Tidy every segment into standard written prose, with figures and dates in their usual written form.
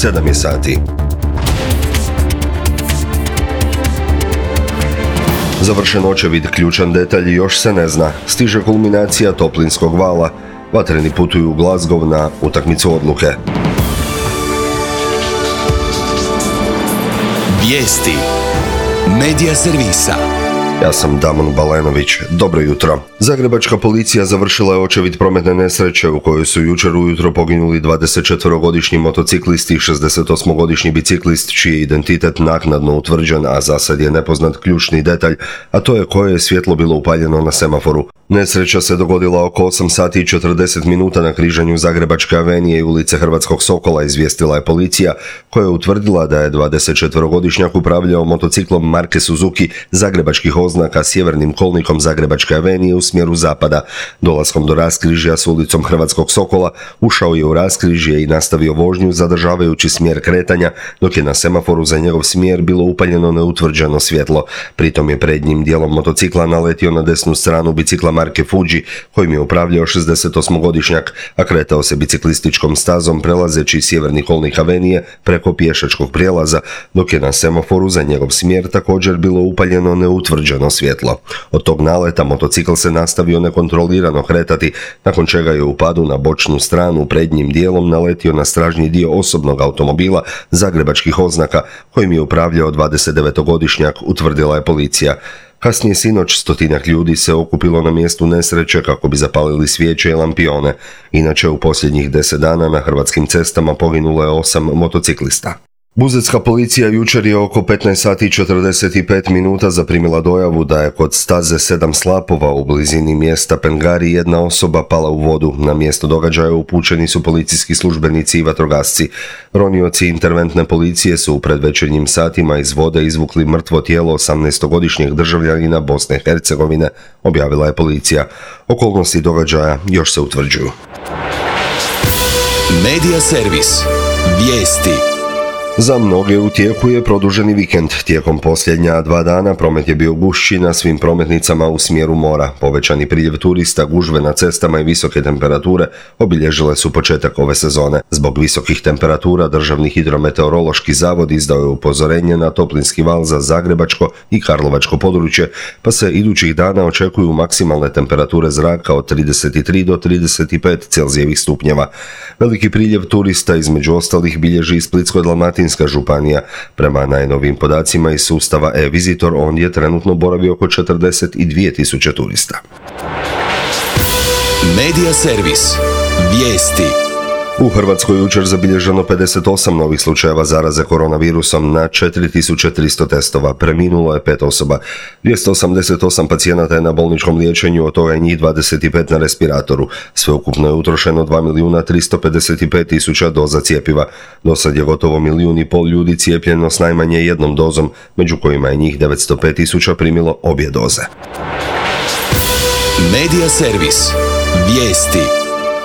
7 je sati. Završen očevid, ključan detalj još se ne zna. Stiže kulminacija toplinskog vala. Vatreni putuju u Glasgow na utakmicu odluke. Vijesti Medija servisa. Ja sam Damon Balenović. Dobro jutro. Zagrebačka policija završila je očevid prometne nesreće u kojoj su jučer ujutro poginuli 24-godišnji motociklist i 68-godišnji biciklist čiji je identitet naknadno utvrđen, a za sad je nepoznat ključni detalj, a to je koje je svjetlo bilo upaljeno na semaforu. Nesreća se dogodila oko 8 sati i 40 minuta na križanju Zagrebačke avenije i ulice Hrvatskog Sokola, izvijestila je policija, koja je utvrdila da je 24-godišnjak upravljao motociklom marke Suzuki zagrebačkih oznaka sjevernim kolnikom Zagrebačke avenije u smjeru zapada. Dolaskom do raskrižja s ulicom Hrvatskog Sokola ušao je u raskrižje i nastavio vožnju zadržavajući smjer kretanja, dok je na semaforu za njegov smjer bilo upaljeno neutvrđeno svjetlo. Pritom je prednjim dijelom motocikla naletio na desnu stranu bicikla marke Fuji, kojim je upravljao 68-godišnjak, a kretao se biciklističkom stazom prelazeći sjeverni kolnik avenije preko pješačkog prijelaza, dok je na semaforu za njegov smjer također bilo upaljeno neutvrđeno svjetlo. Od tog naleta motocikl se nastavio nekontrolirano kretati, nakon čega je u padu na bočnu stranu prednjim dijelom naletio na stražnji dio osobnog automobila zagrebačkih oznaka, kojim je upravljao 29-godišnjak, utvrdila je policija. Kasnije sinoć 100-tinjak ljudi se okupilo na mjestu nesreće kako bi zapalili svijeće i lampione. Inače, u posljednjih 10 dana na hrvatskim cestama poginulo je 8 motociklista. Buzetska policija jučer je oko 15 sati i 45 minuta zaprimila dojavu da je kod staze 7 slapova u blizini mjesta Pengari jedna osoba pala u vodu. Na mjesto događaja upućeni su policijski službenici i vatrogasci. Ronioci interventne policije su u predvečernjim satima iz vode izvukli mrtvo tijelo 18-godišnjeg državljanina Bosne i Hercegovine, objavila je policija. Okolnosti događaja još se utvrđuju. Medija servis. Vijesti. Za mnoge u tijeku je produženi vikend. Tijekom posljednja 2 dana promet je bio gušći na svim prometnicama u smjeru mora. Povećani priljev turista, gužve na cestama i visoke temperature obilježile su početak ove sezone. Zbog visokih temperatura Državni hidrometeorološki zavod izdao je upozorenje na toplinski val za zagrebačko i karlovačko područje, pa se idućih dana očekuju maksimalne temperature zraka od 33 do 35 Celzijevih stupnjeva. Veliki priljev turista između ostalih bilježi i Splitsko-dalmatinska županija. Prema najnovijim podacima iz sustava e-Visitor ondje trenutno boravi oko 42.000 turista. Medija servis. Vijesti. U Hrvatskoj jučer zabilježeno 58 novih slučajeva zaraze koronavirusom na 4300 testova. Preminulo je 5 osoba. 288 pacijenata je na bolničkom liječenju, od toga je njih 25 na respiratoru. Sveukupno je utrošeno 2.355.000 doza cjepiva. Do sad je gotovo 1,5 milijuna ljudi cijepljeno s najmanje jednom dozom, među kojima je njih 905.000 primilo obje doze. Medija servis. Vijesti.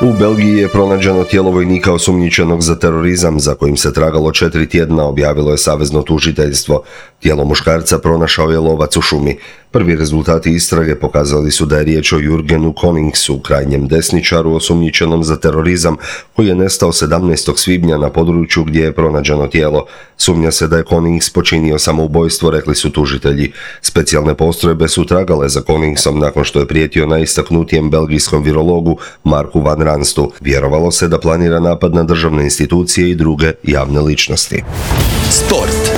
U Belgiji je pronađeno tijelo vojnika osumnjičenog za terorizam za kojim se tragalo 4 tjedna, objavilo je savezno tužiteljstvo. Tijelo muškarca pronašao je lovac u šumi. Prvi rezultati istrage pokazali su da je riječ o Jurgenu Koningsu, krajnjem desničaru osumnjičenom za terorizam, koji je nestao 17. svibnja na području gdje je pronađeno tijelo. Sumnja se da je Konings počinio samoubojstvo, rekli su tužitelji. Specijalne postrojbe su tragale za Koningsom nakon što je prijetio najistaknutijem belgijskom virologu Marku van Ranstu. Vjerovalo se da planira napad na državne institucije i druge javne ličnosti. Sport.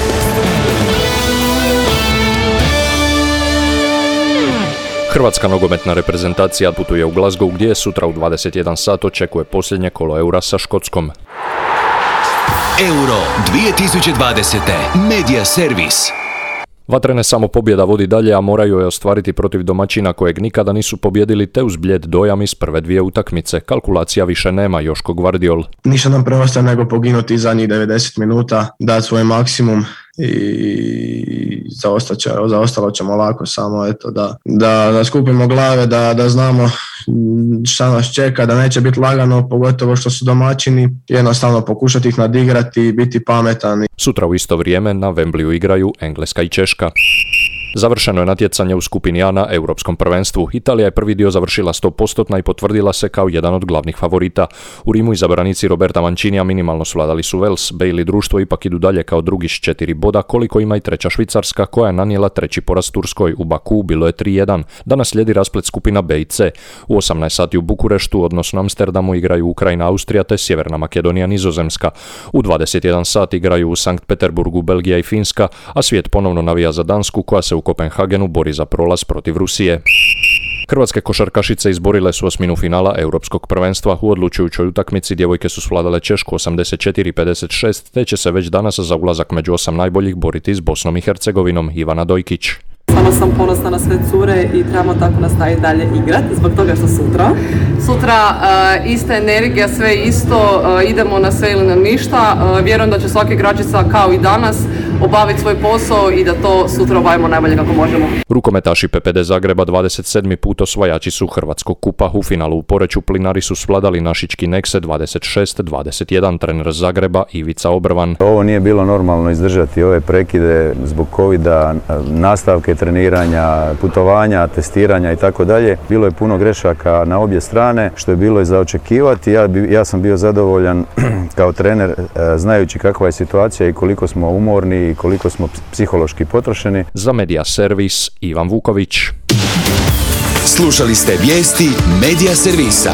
Hrvatska nogometna reprezentacija putuje u Glasgow gdje sutra u 21 sat očekuje posljednje kolo Eura sa Škotskom. Euro 2020. Medija servis. Vatrene samo pobjeda vodi dalje, a moraju je ostvariti protiv domaćina kojeg nikada nisu pobjedili, te uz blijed dojam iz prve 2 utakmice. Kalkulacija više nema, Joško Gvardiol. Ništa nam preostaje nego poginuti zadnjih 90 minuta, dati svoj maksimum i zaostalo ćemo lako, samo eto da skupimo glave, da znamo šta nas čeka, da neće biti lagano, pogotovo što su domaćini, jednostavno pokušati ih nadigrati i biti pametan. Sutra u isto vrijeme na Wembleyu igraju Engleska i Češka. Završeno je natjecanje u skupini A na Europskom prvenstvu. Italija je prvi dio završila 100% i potvrdila se kao jedan od glavnih favorita. U Rimu izabranici Roberta Mancinija minimalno svladali su Wales, Bailey društvo ipak idu dalje kao drugi s 4 boda, koliko ima i treća Švicarska koja je nanijela treći poraz Turskoj. U Baku bilo je 3-1. Danas slijedi rasplet skupina B i C. U 18 sati u Bukureštu, odnosno Amsterdamu, igraju Ukrajina, Austrija te Sjeverna Makedonija, Nizozemska. U 21 sat igraju u Sankt Peterburgu Belgija i Finska, a svijet ponovno navija za Dansku koja se u Kopenhagenu bori za prolaz protiv Rusije. Hrvatske košarkašice izborile su osminu finala Europskog prvenstva. U odlučujućoj utakmici djevojke su svladale Češku 84-56, te će se već danas za ulazak među 8 najboljih boriti s Bosnom i Hercegovinom. Ivana Dojkić. Stvarno sam ponosna na sve cure i trebamo tako nastaviti dalje igrati zbog toga što sutra ista energija, sve isto, idemo na sve ili na ništa. Vjerujem da će svaka igračica kao i danas obaviti svoj posao i da to sutra obavimo najbolje kako možemo. Rukometaši PPD Zagreba 27. put osvajači su Hrvatskog kupa. U finalu u Poreču Plinari su svladali našički Nekse 26-21. Trener Zagreba Ivica Obrvan. Ovo nije bilo normalno izdržati ove prekide zbog covida, nastavke treniranja, putovanja, testiranja i tako dalje. Bilo je puno grešaka na obje strane, što je bilo i za očekivati. Ja sam bio zadovoljan kao trener znajući kakva je situacija i koliko smo umorni i koliko smo psihološki potrošeni. Za Medija Servis Ivan Vuković. Slušali ste vijesti Medija Servisa.